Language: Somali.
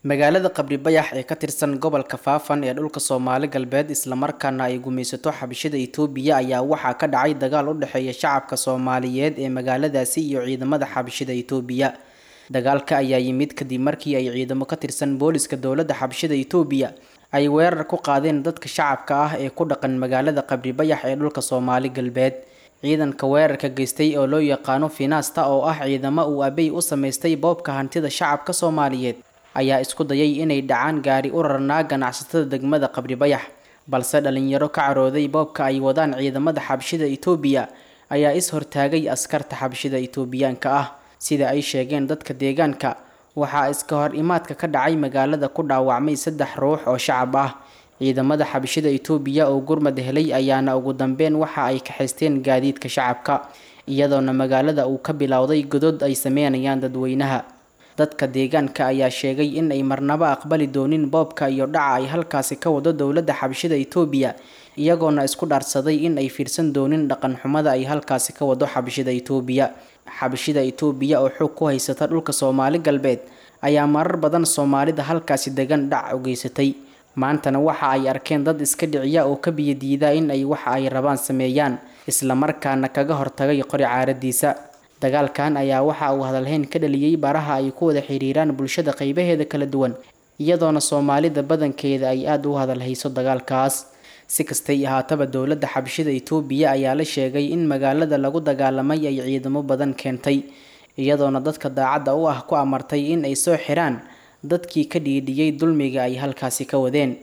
Magaalada Qabri Bayax ee ka tirsan gobolka Faafan ee dhulka Soomaali Galbeed isla markaana ay gumaysato xabashida Itoobiya ayaa waxaa ka dhacay dagaal u dhexeeya shacabka Soomaaliyeed ee magaaladaasi iyo ciidamada xabashida Itoobiya. Dagaalka ayaa yimid kadib markii ay ciidamo ka tirsan booliska dowladda xabashida Itoobiya ay weerar ku qaadeen dadka shacabka ah ee ku dhaqan magaalada Qabri Bayax ee dhulka Soomaali Galbeed. Ciidanka weerarka geystay oo loo yaqaano Finasta oo ah ciidamo uu Abiy u samaystay boobka hantida shacabka Soomaaliyeed ayaa isku dayay inay dhacaan gaari u rarnaa ganacsatada degmada Qabri Bayax, balse dhalinyaro ka carooday boobka ay wadaan ciidamada xabashida Itoobiya ayaa is hortaagay askarta xabashida Itoobiyaanka ah. Sida ay sheegeen dadka deegaanka, waxaa iska hor imaadka ka dhacay magaalada ku dhaawacmay 3 ruux oo shacab ah. Ciidamada xabashida Itoobiya oo gurmad helay ayaana ugu dambeyn waxa ay kaxaysteen gaadiidka shacabka, iyadoona magaalada uu ka bilowday godad ay sameynayaan dadweynaha. Dadka deegaanka ayaa sheegay in ay marnaba aqbali doonin boobka iyo dhaca ay halkaasi ka wado dowladda xabashida Itoobiya, iyagoona isku dhaarsaday in ay fiirsan doonin dhaqan xumada ay halkaasi ka wado xabashida Itoobiya. Xabashida Itoobiya oo xoog ku haysata dhulka Soomaali Galbeed ayaa marar badan Soomaalida halkaasi degan dhac u geysatay. Maantana waxa ay arkeen dad iska dhiciya oo ka biyo diida in ay waxa ay rabaan sameeyaan, isla markaana kaga hortagay qori caaradiisa. Dagaalkan ayaa waxa uu hadalhayn ka dhaliyay baraha ay ku wada xiriiraan bulshada qaybaheeda kala duwan, iyadoona Soomaalida badankeeda ay aad u hadalhayso dagaalkaas. Si kastay ahaataba, dowladda xabashida Itoobiya ayaa la sheegay in magaalada lagu dagaalamay ay ciidamo badan keentay, iyadoona dadka daacadda u ah ku amartay in ay soo xiraan dadkii ka dhiidhiyay dulmiga ay halkaasi ka wadeen.